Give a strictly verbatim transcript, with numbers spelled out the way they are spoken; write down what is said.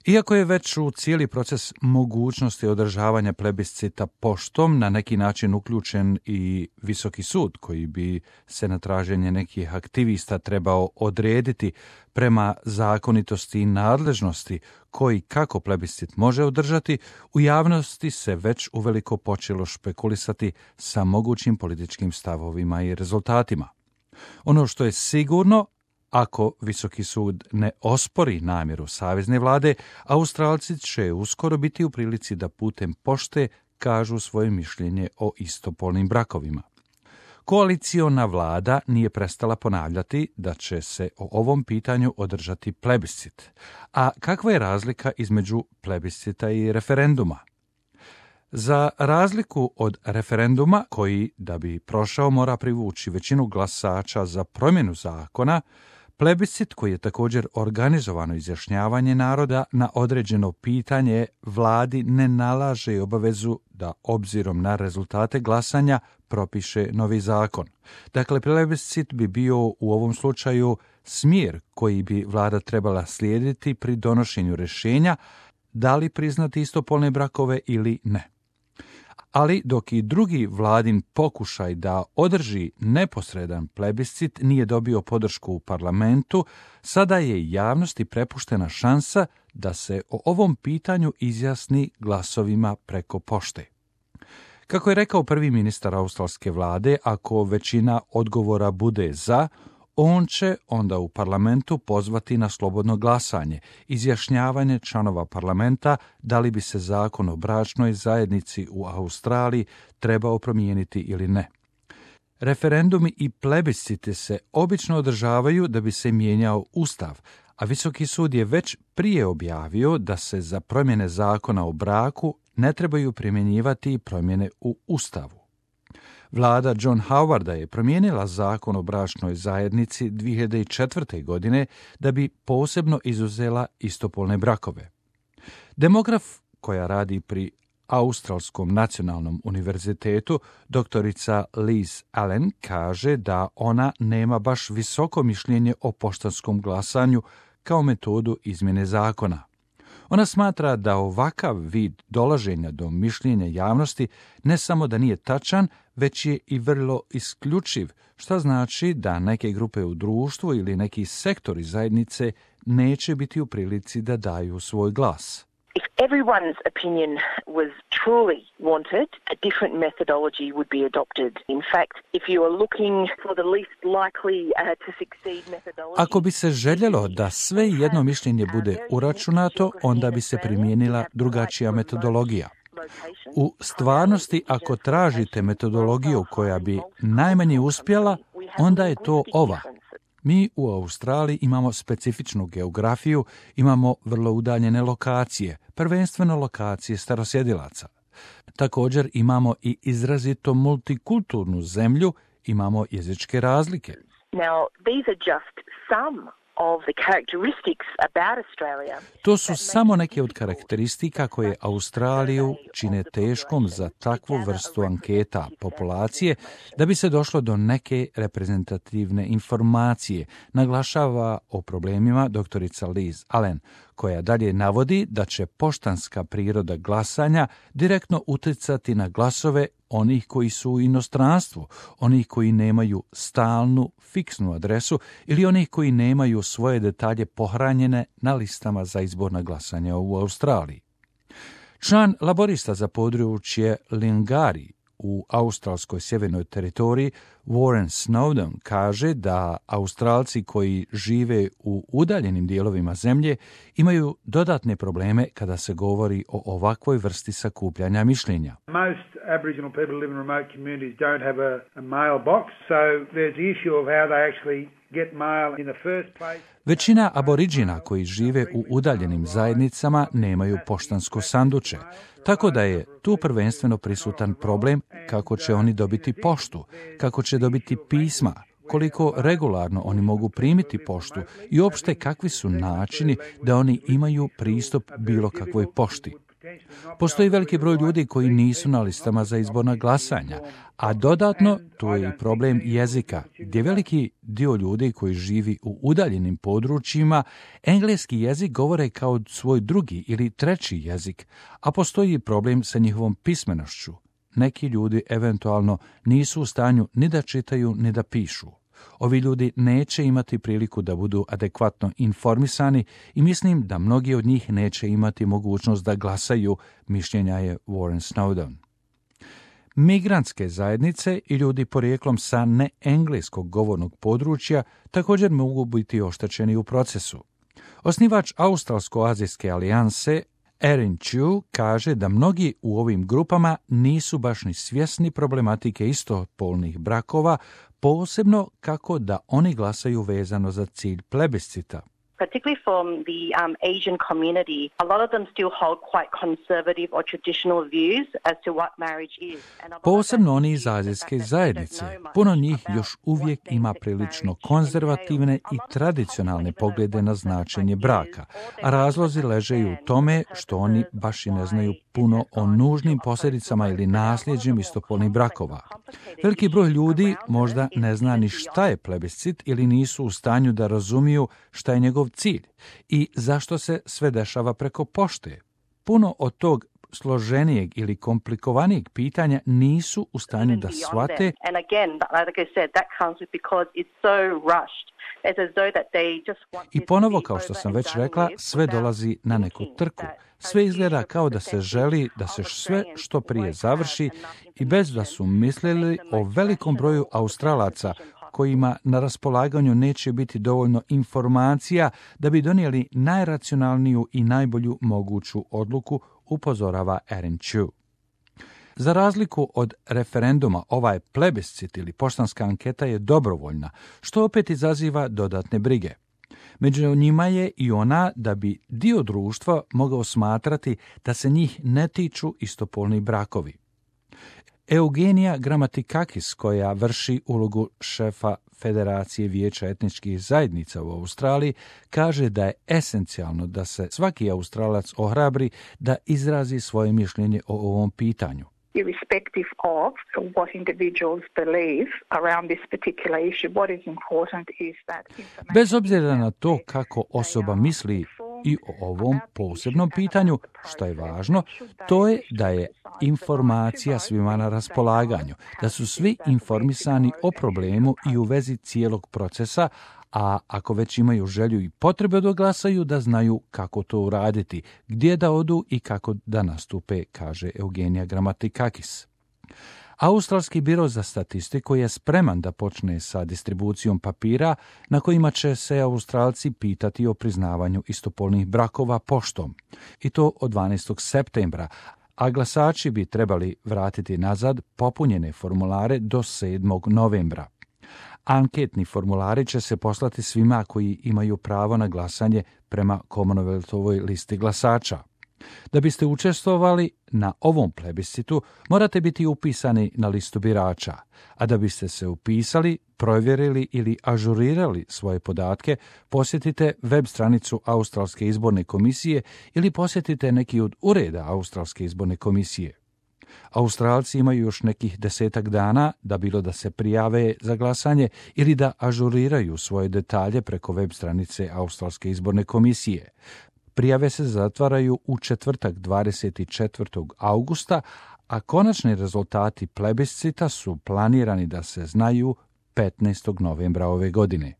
Iako je već u cijeli proces mogućnosti održavanja plebiscita poštom na neki način uključen i Visoki sud, koji bi se na traženje nekih aktivista trebao odrediti prema zakonitosti i nadležnosti koji kako plebiscit može održati, u javnosti se već uveliko počelo špekulisati sa mogućim političkim stavovima i rezultatima. Ono što je sigurno, ako Visoki sud ne ospori namjeru savezne vlade, Australci će uskoro biti u prilici da putem pošte kažu svoje mišljenje o istopolnim brakovima. Koaliciona vlada nije prestala ponavljati da će se o ovom pitanju održati plebiscit. A kakva je razlika između plebiscita i referenduma? Za razliku od referenduma, koji da bi prošao mora privući većinu glasača za promjenu zakona, plebiscit, koji je također organizovano izjašnjavanje naroda na određeno pitanje, vladi ne nalaže obavezu da obzirom na rezultate glasanja propiše novi zakon. Dakle, plebiscit bi bio u ovom slučaju smjer koji bi vlada trebala slijediti pri donošenju rješenja da li priznati istopolne brakove ili ne. Ali dok i drugi vladin pokušaj da održi neposredan plebiscit nije dobio podršku u parlamentu, sada je javnosti prepuštena šansa da se o ovom pitanju izjasni glasovima preko pošte. Kako je rekao prvi ministar australske vlade, ako većina odgovora bude za, on će onda u parlamentu pozvati na slobodno glasanje, izjašnjavanje članova parlamenta da li bi se zakon o bračnoj zajednici u Australiji trebao promijeniti ili ne. Referendumi i plebisciti se obično održavaju da bi se mijenjao ustav, a Visoki sud je već prije objavio da se za promjene zakona o braku ne trebaju primjenjivati promjene u ustavu. Vlada John Howarda je promijenila zakon o bračnoj zajednici dvije hiljade četvrte. godine da bi posebno izuzela istopolne brakove. Demograf koja radi pri Australskom nacionalnom univerzitetu, doktorica Liz Allen, kaže da ona nema baš visoko mišljenje o poštanskom glasanju kao metodu izmjene zakona. Ona smatra da ovakav vid dolaženja do mišljenja javnosti ne samo da nije tačan, već je i vrlo isključiv, što znači da neke grupe u društvu ili neki sektori zajednice neće biti u prilici da daju svoj glas. If everyone's opinion was truly wanted, a different methodology would be adopted. In fact, if you are looking for the least likely uh, to succeed methodology... Ako bi se željelo da sve jedno mišljenje bude uračunato, onda bi se primijenila drugačija metodologija. U stvarnosti, ako tražite metodologiju koja bi najmanje uspjela, onda je to ova. Mi u Australiji imamo specifičnu geografiju, imamo vrlo udaljene lokacije, prvenstveno lokacije starosjedilaca. Također imamo i izrazito multikulturnu zemlju, imamo jezičke razlike. Now, these are just some of the characteristics about Australia. To su samo neke od karakteristika koje Australiju čine teškom za takvu vrstu anketa populacije da bi se došlo do neke reprezentativne informacije, naglašava o problemima doktorica Liz Allen, koja dalje navodi da će poštanska priroda glasanja direktno utjecati na glasove onih koji su u inostranstvu, onih koji nemaju stalnu, fiksnu adresu ili onih koji nemaju svoje detalje pohranjene na listama za izborna glasanja u Australiji. Član laborista za područje Lingari u australskoj sjevernoj teritoriji Warren Snowden kaže da Australci koji žive u udaljenim dijelovima zemlje imaju dodatne probleme kada se govori o ovakvoj vrsti sakupljanja mišljenja. Most Aboriginal people live in remote communities don't have a, a mailbox, so there's the issue of how they actually get mail in the first place. Većina aboriđina koji žive u udaljenim zajednicama nemaju poštansko sanduče, tako da je tu prvenstveno prisutan problem kako će oni dobiti poštu, kako će dobiti pisma, koliko regularno oni mogu primiti poštu i uopšte kakvi su načini da oni imaju pristup bilo kakvoj pošti. Postoji veliki broj ljudi koji nisu na listama za izborna glasanja, a dodatno tu je i problem jezika, gdje veliki dio ljudi koji živi u udaljenim područjima engleski jezik govore kao svoj drugi ili treći jezik, a postoji i problem sa njihovom pismenošću. Neki ljudi eventualno nisu u stanju ni da čitaju ni da pišu. Ovi ljudi neće imati priliku da budu adekvatno informisani i mislim da mnogi od njih neće imati mogućnost da glasaju, mišljenja je Warren Snowdon. Migrantske zajednice i ljudi porijeklom sa neengleskog govornog područja također mogu biti oštećeni u procesu. Osnivač Australsko-azijske alijanse Erin Chu kaže da mnogi u ovim grupama nisu baš ni svjesni problematike istopolnih brakova, posebno kako da oni glasaju vezano za cilj plebiscita. Particularly from the um, Asian community, a lot of them still hold quite conservative or traditional views as to what marriage is. Posebno oni iz azijske zajednice. Puno njih još uvijek ima prilično konzervativne i tradicionalne poglede na značenje braka, a razlozi leže i u tome što oni baš i ne znaju puno o nužnim posljedicama ili nasljeđem istopolnih brakova. Veliki broj ljudi možda ne zna ni šta je plebiscit ili nisu u stanju da razumiju šta je njegov cilj i zašto se sve dešava preko pošte. Puno od tog složenijeg ili komplikovanijeg pitanja nisu u stanju da shvate. I ponovo, kao što sam već rekla, sve dolazi na neku trku. Sve izgleda kao da se želi da se sve što prije završi i bez da su mislili o velikom broju Australaca kojima na raspolaganju neće biti dovoljno informacija da bi donijeli najracionalniju i najbolju moguću odluku, upozorava Erin Chu. Za razliku od referenduma, ovaj plebiscit ili poštanska anketa je dobrovoljna, što opet izaziva dodatne brige. Među njima je i ona da bi dio društva mogao smatrati da se njih ne tiču istopolni brakovi. Eugenija Gramatikakis, koja vrši ulogu šefa Federacije vijeća etničkih zajednica u Australiji, kaže da je esencijalno da se svaki Australac ohrabri da izrazi svoje mišljenje o ovom pitanju. Irrespective of what individuals believe around this particular issue, what is important is that information... Bez obzira na to kako osoba misli i o ovom posebnom pitanju, što je važno, to je da je informacija svima na raspolaganju, da su svi informisani o problemu i u vezi cijelog procesa, a ako već imaju želju i potrebe da glasaju, da znaju kako to uraditi, gdje da odu i kako da nastupe, kaže Eugenija Gramatikakis. Australski biro za statistiku je spreman da počne sa distribucijom papira na kojima će se Australci pitati o priznavanju istopolnih brakova poštom, i to od dvanaestog septembra, a glasači bi trebali vratiti nazad popunjene formulare do sedmog novembra. Anketni formulari će se poslati svima koji imaju pravo na glasanje prema Commonwealthovoj listi glasača. Da biste učestvovali na ovom plebiscitu, morate biti upisani na listu birača, a da biste se upisali, provjerili ili ažurirali svoje podatke, posjetite web stranicu Australske izborne komisije ili posjetite neki od ureda Australske izborne komisije. Australci imaju još nekih desetak dana da bilo da se prijave za glasanje ili da ažuriraju svoje detalje preko web stranice Australske izborne komisije. Prijave se zatvaraju u četvrtak dvadeset četvrtog augusta, a konačni rezultati plebiscita su planirani da se znaju petnaestog novembra ove godine.